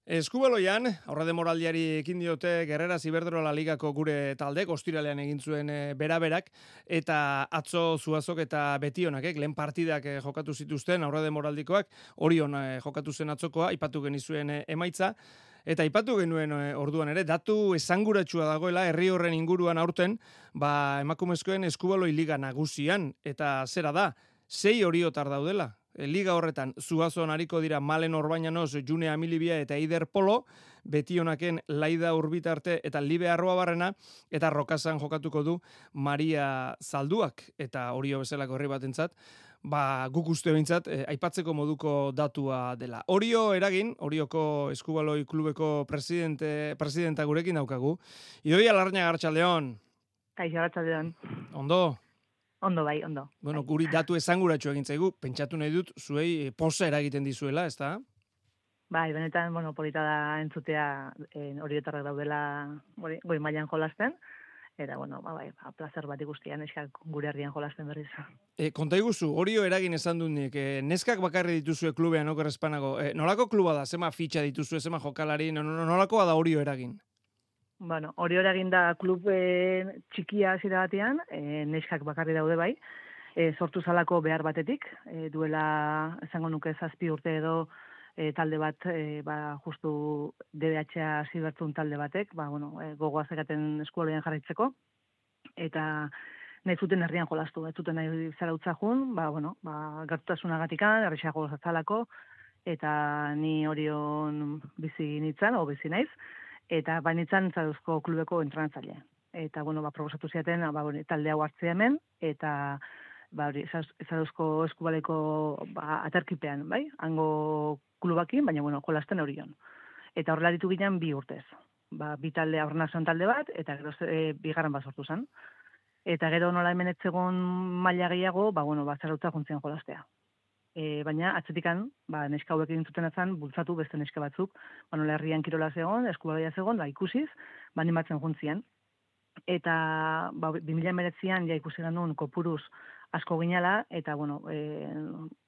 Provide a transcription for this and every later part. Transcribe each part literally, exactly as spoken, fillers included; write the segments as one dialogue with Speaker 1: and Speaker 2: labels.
Speaker 1: Eskubaloian, aurrede moraldiari ekin diote Gerrera Iberdrola Ligako gure taldek, ostiralean egin zuen e, beraberak, eta atzo Zuazok eta Betionakek, lehen partidak e, jokatu zituzten, aurrede moraldikoak, Orion e, jokatu zen atzokoa, ipatu genizuen e, emaitza, eta ipatu genuen e, orduan ere, datu esanguratsua dagoela, herri horren inguruan aurten, ba, emakumezkoen Eskubaloi Liga nagusian, eta zera da, sei oriotar daudela. Liga horretan, Zuazon hariko dira Malen Orbañanos, June Amilibia eta Eider Polo, Betionaken Laida Urbitarte eta Libe Arroabarrena, eta Rokasan jokatuko du Maria Zalduak, eta Orio bezalako herri batentzat, ba, guk uste behintzat, eh, aipatzeko moduko datua dela. Orio eragin, Orioko Eskubaloi Klubeko presidente, presidenta gurekin daukagu. Idoia Larrañaga, Arratsaldeon.
Speaker 2: Kaixo, Arratsaldeon.
Speaker 1: Ondo?
Speaker 2: Ondo bai, ondo.
Speaker 1: Bueno,
Speaker 2: bai.
Speaker 1: guri datu esanguratsu egin zaigu, pentsatu nahi dut, zuei poza eragiten dizuela, ezta?
Speaker 2: Bai, benetan, bueno, polita da entzutea eh, oriotarrak daudela goi, goi mailan jolasten, eta, bueno, ba, bai, ba, plazer bat ikustian eskak gure herrian jolasten berriz.
Speaker 1: E, konta iguzu, Orio eragin esan dut nik, e, neskak bakarri dituzue klubean, oker espanago, e, nolako kluba da, zema fitxa dituzue, zema jokalari, nolakoa da Orio eragin?
Speaker 2: Bueno, hori hori egin da klub e, txikia hasiera batean, e, neskak bakarri daude bai, e, sortu zalako behar batetik, e, duela, esango nuke zazpi urte edo e, talde bat, e, ba, justu D B H-a hasi bertzun talde batek, ba, bueno, e, gogoa zekaten eskualoian jarraitzeko, eta nahi zuten herrian jolastu, ez zuten nahi zarautza jun, ba, bueno, ba, gertutasunagatikan, errexago zalako, eta ni Orion bizi nintzen, o bizi naiz, eta bainitzan Zaduzko klubeko entrenatzaile. Eta, bueno, ba, proposatu ziaten, ba, hori, talde hau hartzea hemen, eta, ba, hori, Zaduzko eskubaleko, ba, aterkipean, bai? Hango klubakin, baina, bueno, jolasten Orion. Eta horrela ditu ginen bi urtez. Ba, bi talde aurrenazioan talde bat, eta gero e, bigarren bat sortu zen. Eta gero nola hemen etzegon maila gehiago, ba, bueno, ba, zarautza juntzien jolastea. E, baina atzetikan, ba, neska hauek egin zuten ezan, bultzatu beste neska batzuk, ba, nola herrian kirola zegoen, eskubaloia zegoen, ba, ikusiz, ba, animatzen juntzien. Eta, ba, bi mila hemeretzian, ja ikusi genuen kopuruz asko ginala, eta, bueno, e,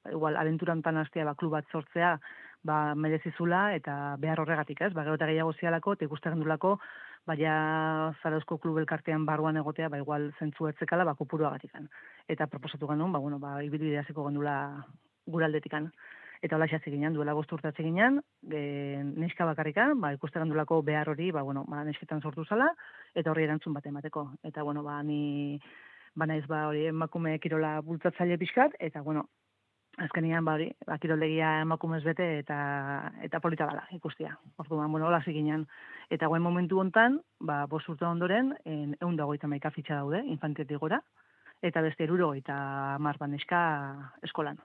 Speaker 2: igual, abenturantan hastea, ba, klub bat sortzea, ba, merezizula, eta behar horregatik, ez? Ba, gero eta gehiago zialako, eta ikusten gendulako, baina Zarauzko klub elkartean barruan egotea, ba, igual zentzu etzekala, ba, kopuruagatikan. Eta proposatu genuen, ba, bueno, ba, ibilbidea hasiko gendula guraldetikan. Eta hola xatzi ginen, duela bost urtatze ginen, e, neska bakarrikan, ba, ikusten gendulako behar hori, ba, bueno, ba, nesketan sortu zala, eta horri erantzun bat emateko. Eta, bueno, ba, ni, ba, naiz, ba, hori, emakume kirola bultzatzaile pixkat, eta, bueno, azkenian, ba, hori, ba, kiroldegia emakumez bete, eta, eta polita dala, ikustia. Orduan, bueno, hola ginen. Eta guen momentu hontan, ba, bost urte ondoren, ehun eta hogeita hamaika fitxa daude, infantetik gora, eta beste hirurogei eta hamar neska eskolan.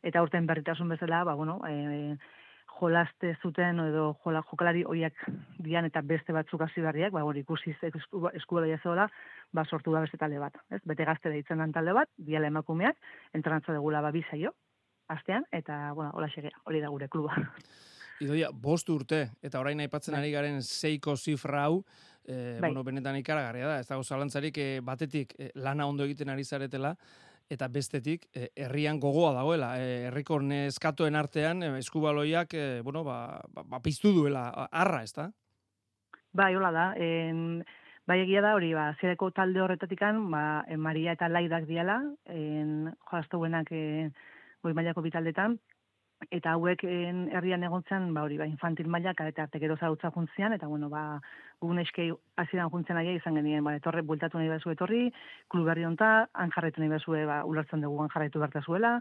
Speaker 2: Eta urten berritasun bezala, ba, bueno, e, jolaste zuten edo jola, jokalari hoiak dian eta beste batzuk hasi berriak, ba, hori ikusiz eskubaloia zeola, ba, sortu da beste talde bat. Ez? Bete gazte deitzen den talde bat, diala emakumeak, entrenatza degula ba, bizaio, astean, eta, bueno, hola xegea, hori da gure kluba.
Speaker 1: Idoia, bost urte, eta orain aipatzen ari garen seiko zifra hau, e, bueno, benetan ikaragarria da, ez dago zalantzarik e, batetik e, lana ondo egiten ari zaretela, eta bestetik, e, herrian gogoa dagoela, e, herriko neskatoen artean, e, eskubaloiak, e, bueno, ba, ba, ba, piztu duela, arra, ez da?
Speaker 2: Bai, hola da, en, bai egia da, hori, ba, zereko talde horretatikan, ba, en Maria eta Laidak diala, en, jolaztuenak e, goi mailako bitaldetan, eta hauek herrian egontzen, ba hori, ba, infantil mailak, eta arte gero zarautza juntzian, eta bueno, ba, gugun eskei hasieran juntzen aia izan genien, ba, etorre, bueltatu nahi bezu etorri, klub berri honta, han jarraitu nahi bezu, ba, ulertzen dugu han jarraitu bertazuela,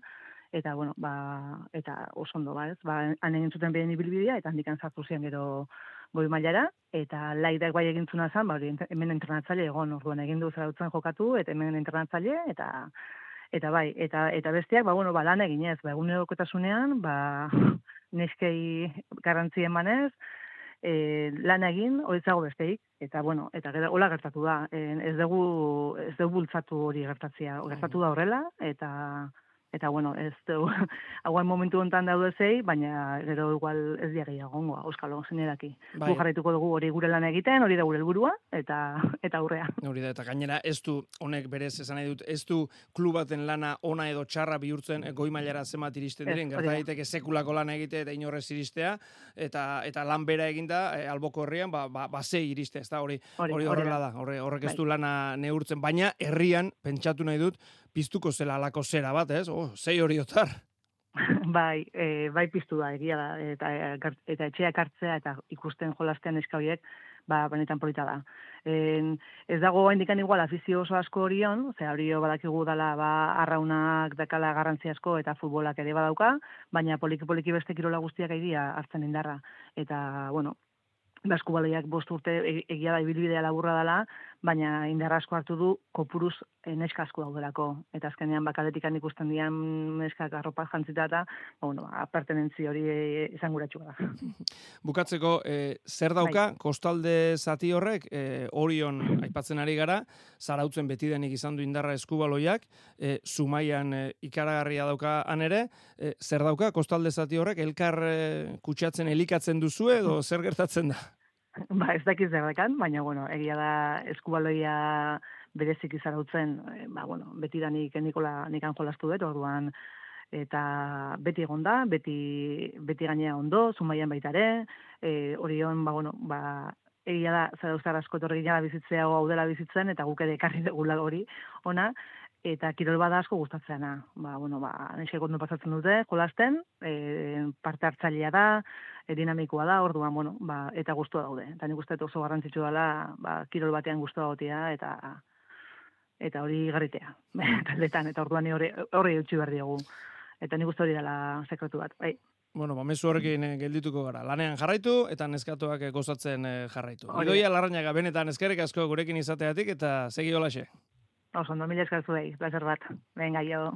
Speaker 2: eta bueno, ba, eta oso ondo, ba, ez, ba, han egin zuten behen ibilbidea, eta handikan sartu zian gero goi mailara, eta Laidak bai egintzuna zen, ba, hori, hemen entrenatzaile egon, orduan egin du zarautzen jokatu, eta hemen entrenatzaile, eta Eta bai, eta eta besteak, ba, bueno, ba, lan eginez, ba, egunerokotasunean, ba, neskei garrantzi emanez, e, lan egin, horitzago besteik, eta, bueno, eta gero, hola gertatu da, e, ez dugu, ez dugu bultzatu hori gertatzea, gertatu da horrela, eta, eta bueno, ez du, hauen momentu hontan daude zei, baina gero igual ez diagei agongoa, euskalo, zeneraki.
Speaker 1: Bai.
Speaker 2: Gu jarraituko dugu hori gure lan egiten, hori da gure helburua eta eta aurrea.
Speaker 1: Hori da, eta gainera ez du, honek berez esan nahi dut, ez du klubaten lana ona edo txarra bihurtzen goi mailara zenbat iristen diren, gerta daiteke sekulako lan egite eta inorrez iristea, eta eta lan bera eginda, e, alboko herrian, ba, ba, ba sei iriste, ez da, hori, hori horrela da, horre, horrek ez du lana neurtzen, baina herrian, pentsatu nahi dut, piztuko zela alako zera bat, ez? Oh, sei hori otar.
Speaker 2: Bai, e, bai piztu da, egia da, eta, eta etxeak hartzea eta ikusten jolastean eska horiek, ba, benetan polita da. En, ez dago indikan igual afizio oso asko horion, ze hori badakigu dala ba, arraunak dakala garrantzi asko eta futbolak ere badauka, baina poliki-poliki beste kirola guztiak egia hartzen indarra. Eta, bueno, baskubaloiak bost urte egia da ibilbidea laburra dela, baina indar asko hartu du kopuruz neska asko daudelako. Eta azkenean bakaletikan ikusten dian neskak arropa jantzita eta, bueno, apartenentzi hori esanguratxua da.
Speaker 1: Bukatzeko, e, zer dauka, bai. Kostalde zati horrek, e, Orion aipatzen ari gara, zarautzen betidenik izan du indarra eskubaloiak, e, Zumaian e, ikaragarria dauka han ere, e, zer dauka, Kostalde zati horrek, elkar e, kutsatzen elikatzen duzu edo zer gertatzen da?
Speaker 2: Ba, ez dakiz derrekan, baina, bueno, egia da eskubaloia berezik izarautzen, ba, bueno, betidanik Nikola nikan jolastu dut, orduan, eta beti egon da, beti, beti gainea ondo, Zumaian baita ere, e, Orion, ba, bueno, ba, egia da, zarauztar asko etorri gina bizitzea hau dela bizitzen, eta guk ere ekarri degula hori ona, eta kirol bada asko gustatzeana. Ba, bueno, ba, neskek ondo pasatzen dute, jolasten, e, parte hartzailea da, e, dinamikoa da, orduan, bueno, ba, eta gustua daude. Eta nik uste oso garrantzitsu dela, ba, kirol batean gustua gotea, eta eta hori garritea, taldetan, eta orduan hori hori eutxi behar diogu. Eta nik uste hori dela sekretu bat, bai.
Speaker 1: Bueno, ba, mezu horrekin geldituko gara. Lanean jarraitu eta neskatuak gozatzen jarraitu. Idoia Larrañaga, benetan eskerrik asko gurekin izateatik eta segi holaxe.
Speaker 2: Oso, ondo, mila eskertu behi, placer bat. Venga, jo.